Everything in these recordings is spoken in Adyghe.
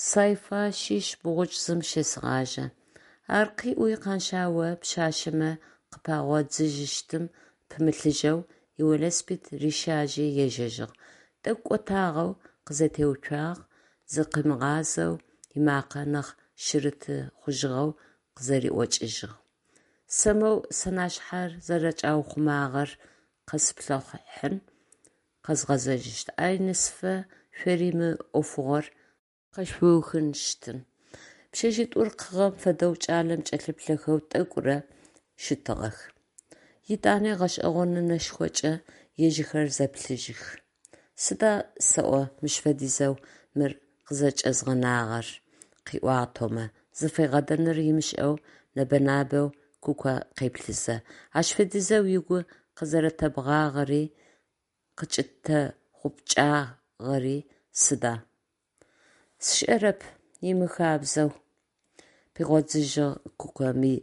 Сайфа щыщ бгъукӏ зым щесэгъажьэ. Ар къыӏуи, Къаншъао пшъашъэмэ къыпагъодзыжьыщтым пымылъыжьэу, ивелосипед рищажьи ежьэжьыгъ. Тӏэкӏу кӏотагъэу къызэтеуцуагъ, зыкъимыгъазэу, ымакъэ нахь шъырыты хъужьыгъэу къызэриӏокӏыжьыгъ: «Сэ моу сэнашъхьэр зэрэчӏаухъумагъэр къэсыплъыхьын, къэзгъэзэжьыщт, ай нэсыфэ шъори мы ӏофыгъор къэшъуухынщтын». Пшъэшъитӏур къыгъэм фэдэу кӏалэм кӏэлъыплъэхэу тӏэкӏурэ щытыгъэх. Етӏани гъэшӏэгъоны нэшхокӏэ ежьхэр зэплъыжьых. «Сыда сэӏо мыщ фэдизэу мыр къызэкӏэзгъэнагъэр?» – къыӏуагъ Томэ, зыфигъэдэныр ымышӏэу нэбэ-набэу Куко къеплъызэ. «Ащ фэдизэу угу къызэрэтэбгъагъэри, къыкӏытэхъупкӏагъэри сыда?» «Сшӏэрэп, имыхабзэу…», – пигъодзыжьыгъ Куко ми,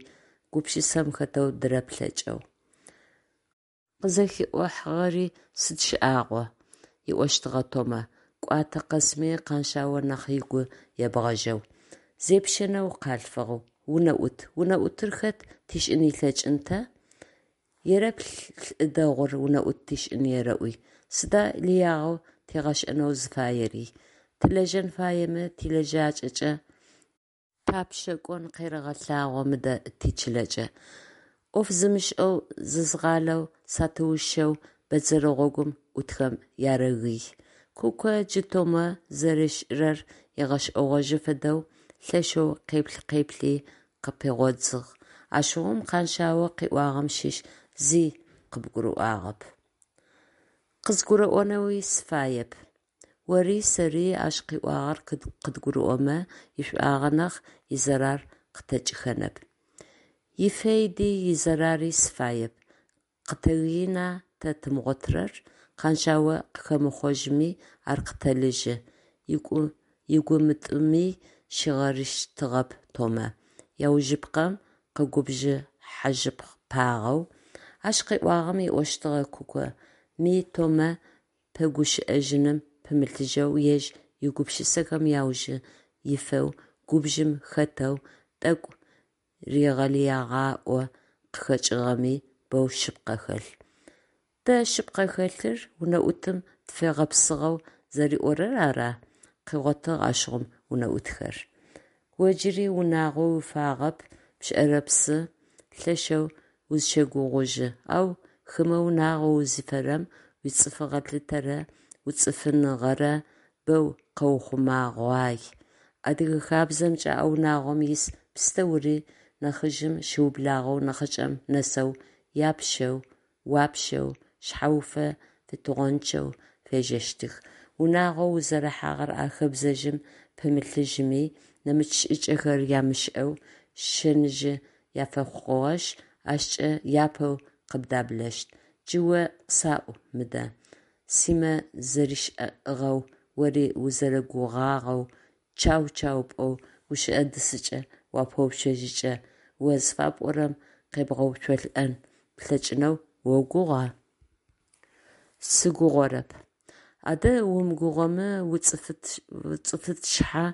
гупшысэм хэтэу дыреплъэкӏэу. «Къызэхиӏохьагъэри сыд шӏагъо», – ыӏощтыгъэ Томэ, кӏуатэ къэсми Къаншъао нахь ыгу ебгъэжьэу. «Зепщэнэу къалъфыгъ, унэӏут, унэӏутыр хэт тишӏын ылъэкӏын тэ? Ерэплъ лӏы дэгъур унэӏут тишӏын ерэӏуи! Сыда лыягъэу тигъэшӏэнэу зыфаери? Тылэжьэн фаемэ, тилэжьакӏэкӏэ тапшъэ кӏон къерэгъэлъагъо мыдэ тичылэкӏэ. Ӏоф зымышӏэу, зызгъалэу сатыушӏэу бэдзэр гъогум ӏутхэм ярэгый», – Куко джы Томэ зэришӏырэр ыгъэшӏэгъожьы фэдэу лъэшэу къеплъ-къеплъи, къыпигъодзыгъ: «Ащыгъум Къаншъао къыӏуагъэм щыщ зи къыбгурыӏуагъэп. Къызгурыӏонэуи сыфаеп. Ори сэри ащ къыӏуагъэр къыдгурыӏомэ, ишӏуагъэ нахь, изэрар къытэкӏыхэнэп. Ифейди изэрари сыфаеп. Къытэгыина тэ тымыгъотырэр? Къаншъао къыхэмыхъожьми, ар къытэлыжьы, – ыгу мытӏуми щигъэрыщтыгъэп Томэ, аужыпкъэм, къэгубжыхьажьыпагъэу. Ащ къыӏуагъэм, ыӏощтыгъэ Куко ми Томэ пэгущыӏэжьыным пымылъыжьэу, ежь игупшысэхэм аужы ифэу, губжым хэтэу, тӏэкӏу ригъэлыягъаӏоу къыхэкӏыгъэми, боу шъыпкъэ хэлъ. Тэ шъыпкъэ хэлъыр унэӏутым тыфэгъэпсыгъэу зэриӏорэр ара? Къыгъотыгъ ащыгъум унэӏутхэр. О джыри унагъо уифагъэп, пшӏэрэпсы, лъэшэу узщэгугъужьы, ау хымэ унагъо узифэрэм, уицӏыфыгъэ лъытэрэ уицӏыфыныгъэрэ бэу къэухъумэгъуай. Адыгэ хабзэмкӏэ а унагъом ис пстэури, нахьыжъым щыублагъэу нахьыкӏэм нэсэу, япщэу, уапщэу, шъхьэуфэ фитыгъончъэу фежьэщтых. Унагъоу узэрыхьагъэр а хэбзэжъым пымылъыжьми, нэмыкӏ шӏыкӏэхэр ямышӏэу шэныжъы яфэхъугъэшъ, ащкӏэ япэу къыбдаблэщт. Джы о къасӏу мыдэ, Симэ зэришӏыгъэу, ори узэрэгугъагъэу, чау-чау пӏоу гущыӏэ дысыкӏэ уапэуцужькӏэ, о зыфапӏорэм къебгъэуцолӏэн плъэкӏынэу огугъа? Сыгугъэрэп. Адэ умыгугъомэ, уицӏыфышъхьэ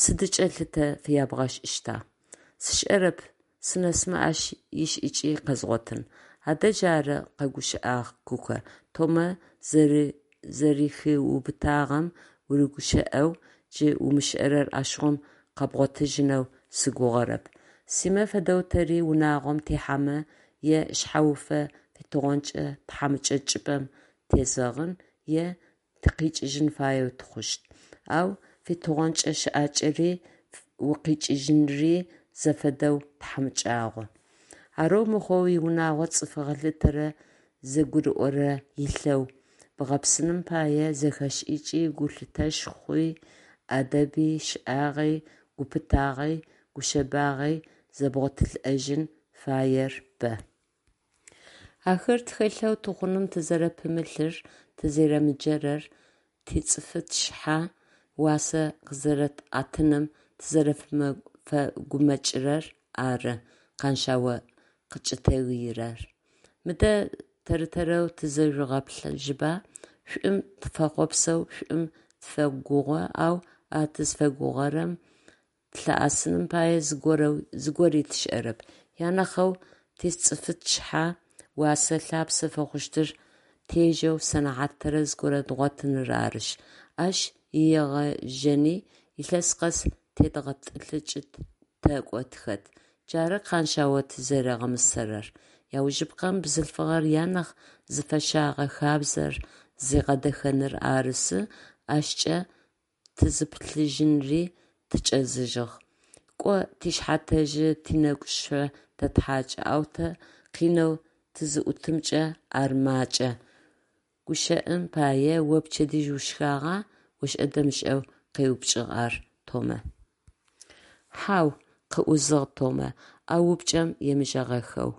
сыдыкӏэ лъытэ фябгъэшӏыщта? Сшӏэрэп, сынэсмэ ащ ишӏыкӏи къэзгъотын. Адэ джары, къэгущыӏагъ Куко, Томэ зэрэхиубытагъэм урыгущыӏэу джы умышӏэрэр ащыгъум къэбгъотыжьынэу сыгугъэрэп. Симэ фэдэу тэри унагъом тихьэмэ, е шъхьэуфэ фитыгъончъэ тхьамыкӏэ чӏыпӏэм тезэгъын, е тыкъикӏыжьын фаеу тыхъущт. Ау фитыгъончъэ щыӏакӏэри укъикӏыжьынри зэфэдэу тхьамыкӏагъо. Арэу мыхъоу уиунагъо цӏыфыгъэ лъытэрэ зэгурыӏорэ илъэу бгъэпсыным пае зэхэшӏыкӏи, гулъытэшхуи, ӏадэби, щэӏагъи, гупытагъи, гушъэбагъи зэбгъотылӏэжьын фаер бэ. Ахэр тхэлъэу тыхъуным тызэрэпымылъыр, тызэрэмыджэрэр, тицӏыфышъхьэ уасэ къызэрэтӏэтыным тызэрэфэгумэкӏырэр ары Къаншъао къыкӏытэгыирэр. Мыдэ тэр-тэрэу тызэжъугъэплъыжьба: шӏум тыфэхъуапсэ, шӏум тыфэгугъэ, ау а тызфэгугъэрэм тылъыӏэсыным пае зыгори тшӏэрэп. Анахьэу тицӏыфышъхьэ уасэ лъапсэ фэхъущтыр тежьэу сэнэхьат тэрэз горэ дгъотыныр арышъ. Ащ иегъэжьэни илъэс къэс тедгъэтӏылъыкӏы тэкӏо тыхэт. Джары Къэншъао тызэригъэмысэрэр. Аужыпкъэм, бзылъфыгъэр анахь зыфэщагъэ хабзэр зигъэдэхэныр арысы, ащкӏэ тызыпылъыжьынри тыкӏэзыжьыгъ. Кӏо, тшъхьэ тэжьы, тынэгу шъо тэтхьакӏы, ау тэ къинэу тызыӏутымкӏэ ар макӏэ, гущыӏэм пае, о пчэдыжь ушхагъа? – ошӏэ-дэмышӏэу къеупчӏыгъ ар Томэ. Хьау, – къыӏузыгъ Томэ, а упчӏэм емыжэгъахэу.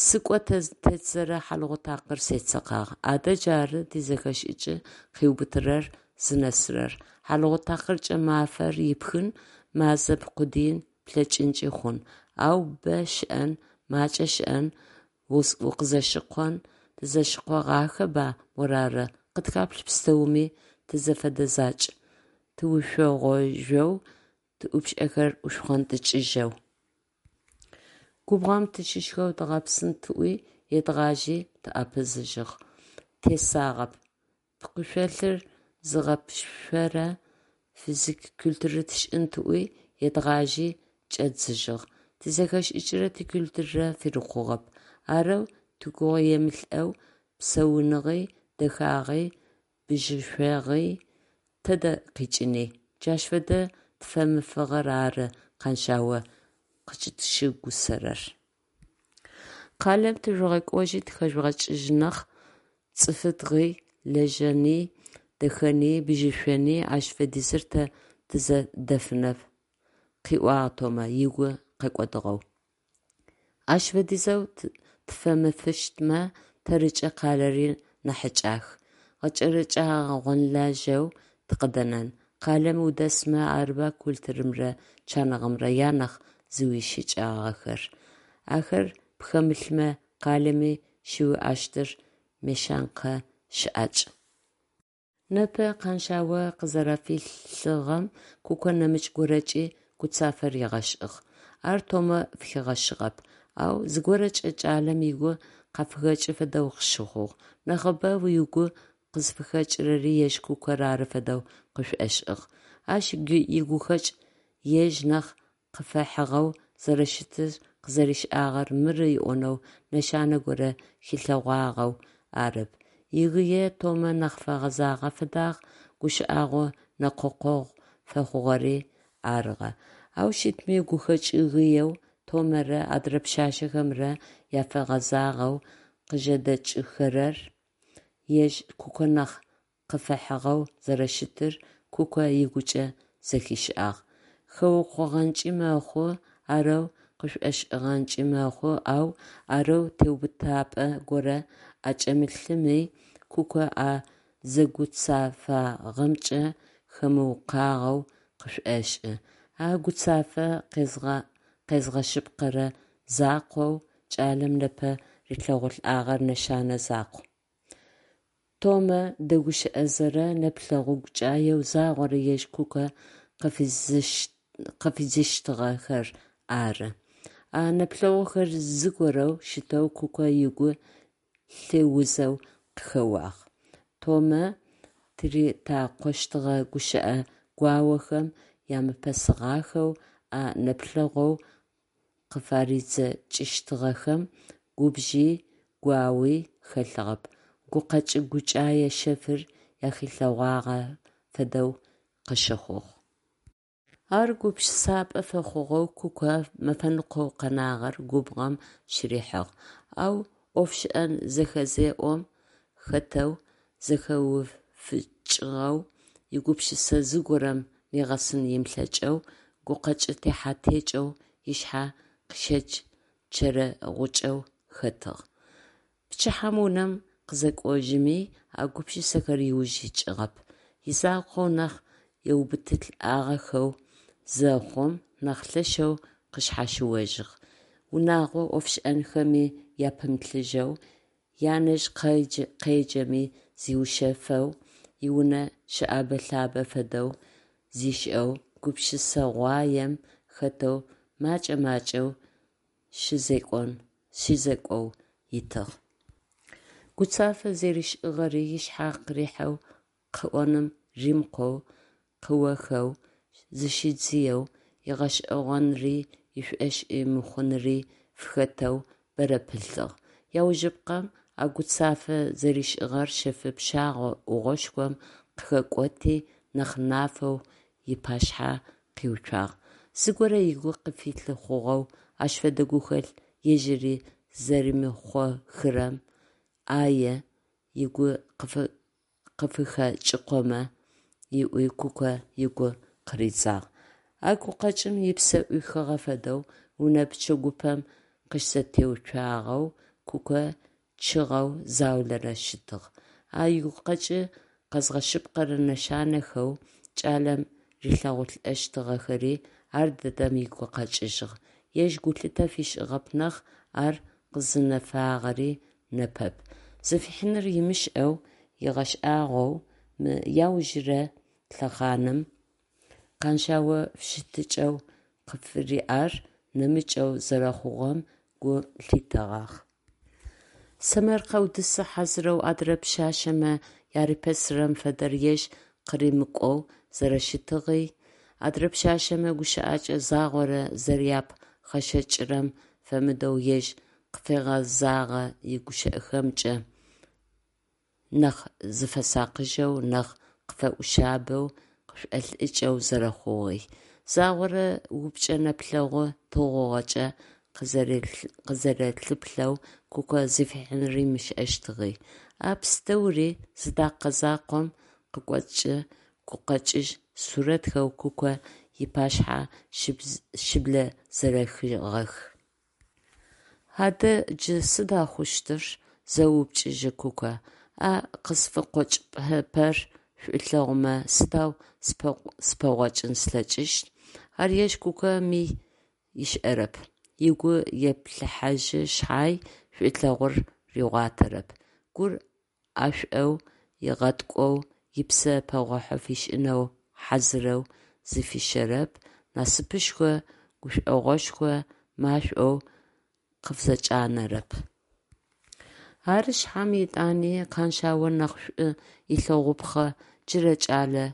Скъо тетдзэрэ хьалыгъу такъыр седзэкъагъ. Адэ джары тизэхэшӏыкӏ къыубытырэр зынэсырэр. Хьалыгъу такъыркӏэ мафэр ипхын, мазэ пкъудыин плъэкӏынкӏи хъун, ау бэ щыӏэн, макӏэ щыӏэн, укъызэщыкъон, тызэщыкъогъахэба, морары, къытхаплъ пстэуми тызэфэдэ закӏ, тыушъогъожъоу, тыӏупшӏэхэр ушхъонтӏыкӏыжьэу. Губгъом тыщышхэу дгъэпсын тӏуи едгъажьи тӏэпызыжьыгъ, тесагъэп. Пкъышъолыр зыгъэпшъорэ физкультурэ тшӏын тӏуи едгъажьи чӏэддзыжьыгъ, тизэхэшӏыкӏрэ тикультурэрэ фырикъугъэп. Арэу тыгугъуемылӏэу псауныгъи, дэхагъи, бжьышӏуагъи тэдэ къикӏыни? Джащ фэдэ тфэмыфыгъэр ары Къэншъао къыкӏытщыгусэрэр. Къалэм тыжъугъэкӏожьи тыхэжъугъэкӏыжь нахь, цӏыфыдгъи, лэжьэни, дэхэни, бжьышӏони ащ фэдизыр тэ тызэдэфынэп, – къыӏуагъ Томэ, ыгу къэкӏодыгъэу. Ащ фэдизэу тфэмыфыщтмэ, тэрыкӏэ къалэри нахьыкӏах, гъэкӏэрэкӏэгъэ-гъонлэжьэу тыкъыдэнэн. Къалэм удэсмэ арыба культурэмрэ чаныгъэмрэ анахь зыуищыкӏагъэхэр. Ахэр пхэмылъмэ, къалэми щыуиӏэщтыр мещанкэ щыӏакӏ. Непэ Къэншъао къызэрэфилъыгъэм Куко нэмыкӏ горэкӏи гуцафэ ригъэшӏыгъ. Ар Томэ фыхигъэщыгъэп, ау зыгорэкӏэ кӏалэм ыгу къафыхэкӏы фэдэу къыщыхъугъ. Нахьыбэу ыгу къызфыхэкӏырэри ежь Кукэр ары фэдэу къышӏошӏыгъ. Ащ игухэкӏ ежь нахь къыфэхьыгъэу зэрэщытыр къызэришӏагъэр мыры ыӏонэу нэшанэ горэ хилъэгъуагъэу арэп, игые Томэ нахь фэгъэзагъэ фэдагъ, гущыӏэгъу-нэкъокъогъу фэхъугъэри арыгъэ. Ау щытми, гухэкӏ-гыеу Томэрэ адрэ пшъашъэхэмрэ яфэгъэзагъэу къыжэдэкӏыхэрэр ежь Куко нахь къыфэхьыгъэу зэрэщытыр Куко ыгукӏэ зэхишӏагъ. Хэукъогъэнкӏи мэхъу, арэу къышӏошӏыгъэнкӏи мэхъу, ау арэу теубытапӏэ горэ ӏэкӏэмылъми, Куко а зэгуцэфагъэмкӏэ хэмыукъуагъэу къышӏошӏы. А гуцафэ къезгъэшъыпкъэрэ закъоу кӏалэм непэ рилъэгъулӏагъэр нэшэнэ закъу: Томэ дэгущыӏэзэ нэплъэгъу гукӏаеу загъорэ ежь Куко къыфидзыщтыгъэхэр ары. А нэплъэгъухэр зыгорэу щытэу Куко ыгу лъы узэу къыхэуагъ. Томэ тыритакъощтыгъэ гущыӏэ гуаохэм ямыпэсыгъахэу а нэплъэгъоу къыфаридзэкӏыщтыгъэхэм губжи гуауи хэлъыгъэп, гукъэкӏ-гукӏае шъэфыр ахилъэгъуагъэ фэдэу къыщыхъугъ. Ар гупшысапӏэ фэхъугъэу Куко мэфэныкъоу къэнагъэр губгъом щырихыгъ. Ау ӏофшӏэн зэхэзеӏом хэтэу, зэхэуфыкӏыгъэу, игупшысэ зыгорэм нигъэсын ымылъэкӏэу, гукъэкӏ техьэ-текӏэу ышъхьэ къыщычэрэгъукӏэу хэтыгъ. Пчыхьэм унэм къызэкӏожьыми а гупшысэхэр ыуж икӏыгъэп. Изакъоу нахь еубытылӏагъэхэу зэхъум, нахь лъэшэу къышъхьащыожьыгъ. Унэгъо ӏофшӏэнхэми апымылъыжьэу, янэжъ къеджэми зиушъэфэу. иунэ щыӏэбэ-лъабэ фэдэу зишӏэу, гупшысэгъуаем хэтэу макӏэ-макӏэу щызекӏоу итыгъ. Гуцафэ зэришӏыгъэри ышъхьэ къырихьэу къыӏоным римыкъоу, къыохэу, зыщидзыеу, ыгъэшӏэгъонри ышӏошъи мыхъунри фыхэтэу бэрэ пылъыгъ. Аужыпкъэм, а гуцафэ зэришӏыгъэр шъэфы пщэгъо ӏугъошхом къыхэкӏоти, нахь нафэу ыпашъхьэ къиуцуагъ: зыгорэ ыгу къыфилъы хъугъэу, ащ фэдэ гухэлъ ежьыри зэримыхъохырэм ӏае ыгу къыфыхэкӏыкъомэ ыӏуи Куко ыгу къыридзагъ. А гукъэкӏым ыпсэ ӏуихыгъэ фэдэу унэ пчэгупэм къыщызэтеуцуагъэу Куко чъыгъэу заулэрэ щытыгъ. А игукъэкӏ къэзгъэшъыпкъэрэ нэшанэхэу кӏалэм рилъэгъулӏэщтыгъэхэри ардэдэм ыгу къэкӏыжьыгъ, ежь гулъытэ фишӏыгъэп нахь, ар къызынэфагъэри непэп, зыфихьыныр ымышӏэу, ыгъэшӏагъоу мы аужырэ лъэхъаным Къаншъао фыщытыкӏэу къыфыриӏэр нэмыкӏэу зэрэхъугъэм гу лъитэгъагъ. Сэмэркъэу дысы хьазырэу адрэ пшъашъэмэ ярипэсырэм фэдэр ежь къыримыкӏоу зэрэщытыгъи, адрэ пшъашъэмэ гущыӏэкӏэ загъорэ зэряпхъэшэкӏырэм фэмыдэу ежь къыфэгъэзэгъэ игущыӏэхэмкӏэ нахь зыфэсакъыжьэу, нахь къыфэӏушъабэу, къышӏолӏыкӏэу зэрэхъугъи, загъорэ упчӏэ нэплъэгъу тыгъугъэкӏэ къызэрэлъыплъэу Куко зыфихьыныр ымышӏэщтыгъи – а пстэури зы такъикъ закъом къыкӏоцӏкӏэ гукъэкӏыжь сурэтхэу Куко ыпашъхьэ щыблэзэрэхыгъэх. Адэ джы сыда хъущтыр? – зэупчӏыжьы Куко, – а къысфыкъокӏыпэрэ шӏулъэгъумэ сыдэу сыпэгъокӏын слъэкӏыщт? Ар ежь Куко ми ышӏэрэп. Ыгу еплъыхьажьы шъхьай, шӏулъэгъур ригъуатэрэп. Гур ӏэшӏоу ыгъэткӏоу, ыпсэ пэгъохьэ фишӏынэу хьазырэу зыфищэрэп, насыпышхо, гушӏогъошхо машӏоу къыфызэкӏанэрэп. Ары шъхьам етӏани Къаншъао нахь шӏу ылъэгъупхъэ джырэ кӏалэ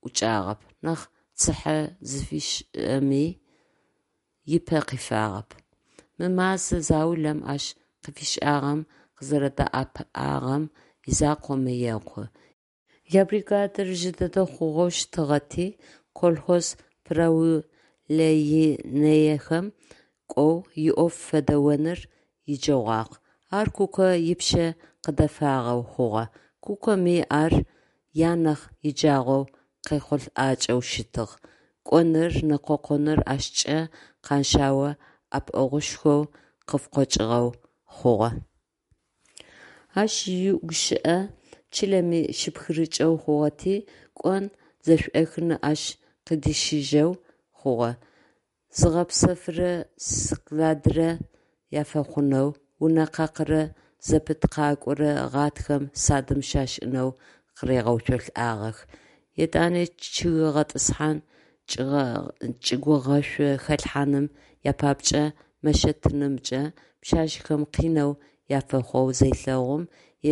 ӏукӏагъэп, нахь цыхьэ зыфишӏыми ыпэ къифагъэп. Мы мэзэ заулэм ащ къыфишӏагъэм, къызэрэдэӏэпыӏагъэм изакъоми екъу. Ябригадир жъы дэдэ хъугъэу щытыгъэти, колхоз правленыехэм кӏоу иӏоф фэдэоныр иджэгъуагъ. Ар Куко ыпшъэ къыдэфагъэу хъугъэ. Кукоми ар анахь иджагъоу къехъулӏакӏэу щытыгъ. Кӏоныр, нэкъокъоныр ащкӏэ Къаншъао ӏэпыӏэгъушхоу къыфыкъокӏыгъэу хъугъэ. Ащ игущыӏэ чылэми щыпхырыкӏэу хъугъэти, кӏон зэшӏохыни ащ къыдищыжьэу хъугъэ, зыгъэпсэфырэ складрэ афэхъунэу унэ къакъырэ зэпыт къакӏорэ гъатхэм садым щашӏынэу къыригъэуцолӏагъэх. Етӏани чъыг гъэтӏысхьан, чӏыгугъэшъо хэлъхьаным япапкӏэ мэщэ тынымкӏэ пшъашъэхэм къинэу афэхъоу зелъэгъум,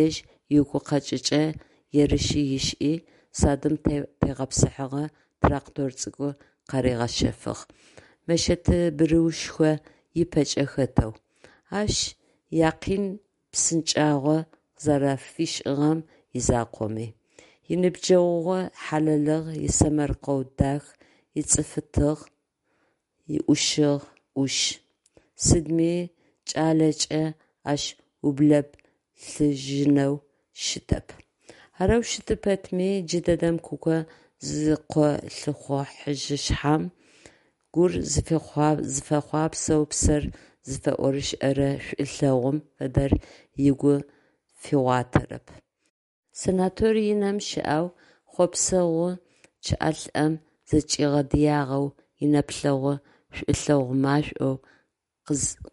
ежь игукъэкӏыкӏэ ерыши ышӏи, садым тегъэпсыхьэгъэ трактор цӏыкӏу къаригъэщэфыгъ, мэщэты бырыушхо ыпэкӏэ хэтэу. Ащ якъин псынкӏагъо къызэрафишӏыгъэм изакъоми. Иныбджэгъугъэ хьалэлыгъ, исэмэркъэу дах, ицӏыфытыгъ, иӏушыгъ, ӏуш. Сыдми кӏалэкӏэ ащ ублэплъыжьынэу щытэп. Арэу щыты пэтми, джыдэдэм Куко зыкъолъыхъохьажьы шъхьам, гур зыфэхъуапсэу псэр зыфэӏорышӏэрэ шӏулъэгъум фэдэр ыгу фигъуатэрэп. Санаторий Инэм щыӏэу, хъопсэгъу чъыӏэлӏэм зэкӏигъэдыягъэу, инэплъэгъу шӏулъэгъу машӏоу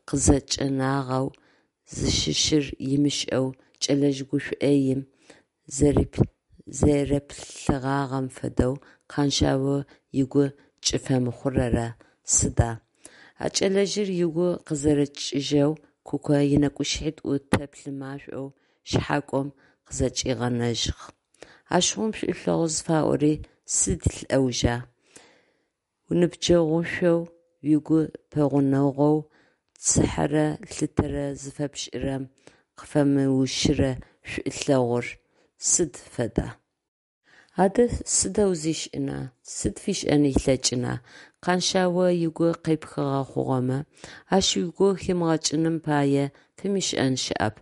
къызэкӏэнагъэу, зыщыщыр ымышӏэу кӏэлэжъ гу шӏоим зэреплъыгъагъэм фэдэу Къэншъао ыгу кӏыфэмыхъурэр сыда? А кӏэлэжъыр ыгу къызэрэкӏыжьэу Куко ынэкӏушъхьитӏу тэплъы машӏоу шъхьакӏом къызэкӏигъэнэжьыгъ. Ащыгъум шӏулъэгъу зыфаӏори сыд лӏэужа? Уиныбджэгъушӏоу, угу пэгъунэгъоу, цыхьэрэ лъытэрэ зыфэпшӏырэм къыфэмыущырэ шӏулъэгъур сыд фэда? Адэ сыдэу зишӏына, сыд фишӏэн ылъэкӏына Къэншъао ыгу къепхыгъэ хъугъэмэ? Ащ ыгу химыгъэкӏыным пае фимышӏэн щыӏэп,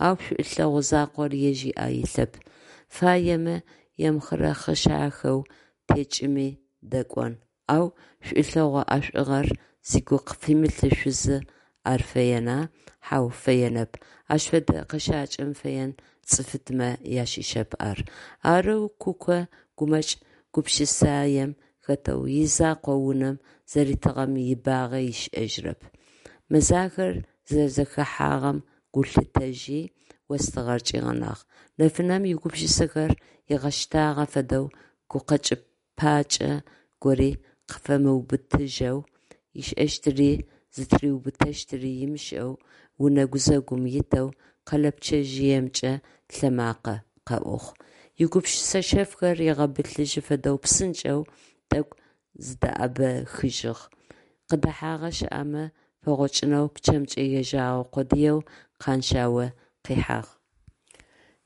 ау шӏулъэгъу закъор ежь ыӏэ илъэп, фаемэ емыхъырэхъышахэу текӏыми дэкӏон, ау шӏулъэгъу ӏэшӏугъэр зыгу къыфимылъ шъузы ар фэена, хьау фэенэп, ащ фэдэ къэщакӏэм фэен цӏыфытмэ ащыщэп ар. Арэу Куко гумэкӏ гупшысаем хэтэу изакъоу унэм зэритыгъэм ибагъэ ышӏэжьырэп. Мэзахэр зэрэзэхэхьагъэм гу лъитэжьи, остыгъэр кӏигъэнагъ. Нэфынэм игупшысэхэр ыгъэщтагъэ фэдэу гукъэкӏыпакӏэ гори къыфэмыубытыжьэу, ышӏэщтыри зытыриубытэщтыри ымышӏэу унэ гузэгум итэу къэлэпчъэжъыемкӏэ лъэмакъэ къэӏугъ. Игупшысэ шъэфхэр ыгъэбылъыжьы фэдэу псынкӏэу тӏэкӏу зыдэӏэбэхыжьыгъ, къыдэхьагъэ щыӏэмэ пэгъокӏынэу пчъэмкӏэ ежьэгъэ къодыеу Къаншъао къихьагъ.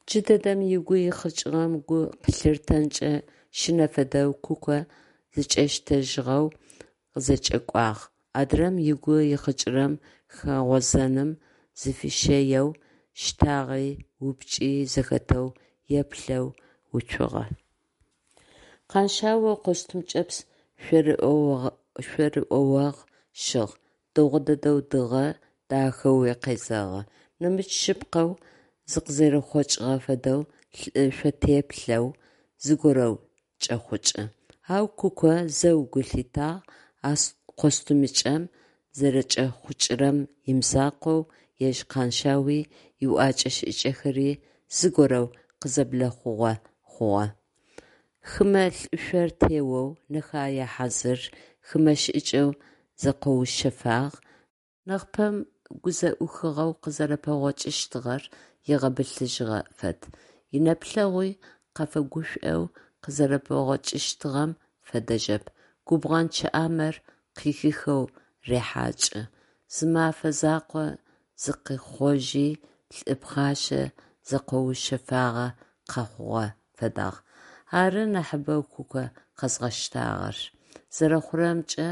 Джыдэдэм ыгу ихъыкӏыгъэм гу къылъыртэнкӏэ щынэ фэдэу Куко зыкӏэщтэжьыгъэу къызэкӏэкӏуагъ, адрэм ыгу ихъыкӏырэм хэгъозэным зыфищэеу, щтагъи упчӏи зэхэтэу еплъэу уцугъэ. Къаншъао костюм кӏэпс шъорыӏоогъ щыгъ, дэгъу дэдэу дыгъэ, дахэуи къезэгъы. Нэмыкӏ шъыпкъэу зыкъызэрихъокӏыгъэ фэдэу лӏы шъотеплъэу зыгорэу кӏэхъукӏы. Ау Куко зэу гу лъитагъ, а костюмыкӏэм зэрэкӏэхъукӏырэм имызакъоу, ежь Къаншъауи иӏуакӏэ-шӏыкӏэхэри зыгорэу къызэблэхъугъэ хъугъэ. Хымэ лӏышъор теоу, нэхэе хьазыр, хымэ шӏыкӏэу зэкъоушъэфагъ, нахьыпэм гу зэӏухыгъэу къызэрэпэгъокӏыщтыгъэр ыгъэбылъыжьыгъэ фэд, инэплъэгъуи къафэгушӏоу къызэрэпэгъокӏыщтыгъэм фэдэжьэп, губгъэн чъыӏамэр къыхихэу рехьакӏы, зы мэфэ закъо зыкъихъожьи лӏы пхъашэ зэкъоушъэфагъэ къэхъугъэ фэдагъ. Ары нахьыбэу Куко къэзгъэщтагъэр. Зэрэхъурэмкӏэ,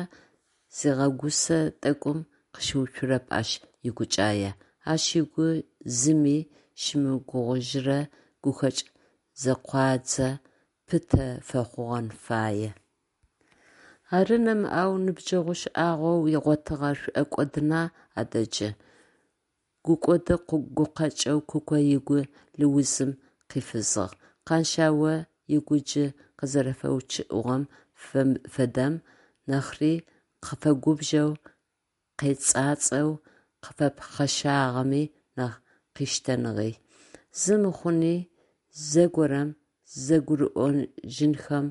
зигъэгусэ тӏэкӏум къыщыуцурэп ащ игукӏае, ащ ыгу зыми щымыгугъыжьырэ гухэкӏ зэкъуадзэ пытэ фэхъугъэн фае. Ары нэмыӏэу ныбджэгъу шӏагъоу ыгъотыгъэр шӏокӏодына адэ джы? Гукӏоды гукъэкӏэу Куко ыгу лыузым къифызыгъ. Къаншъао ыгу джы къызэрэфэучъыӏыгъэм фэдэм нахьри къыфэгубжэу, къецӏацӏэу, къыфэпхъэшагъэми нахь къыштэныгъи. Зи мыхъуни, зэгорэм зэгурыӏожьынхэм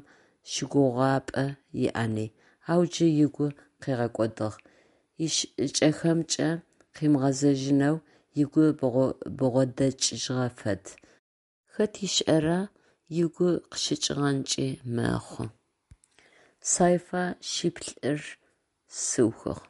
щыгугъапӏэ иӏэни, ау джы ыгу къыгъэкӏодыгъ, ишӏыкӏэхэмкӏэ къымыгъэзэжьынэу ыгу бгъодэкӏыжьыгъэ фэд. Хэт ышӏэра, ыгу къыщыкӏыгъэнкӏи мэхъу. Сайфа шъиплӏыр сыухыгъ.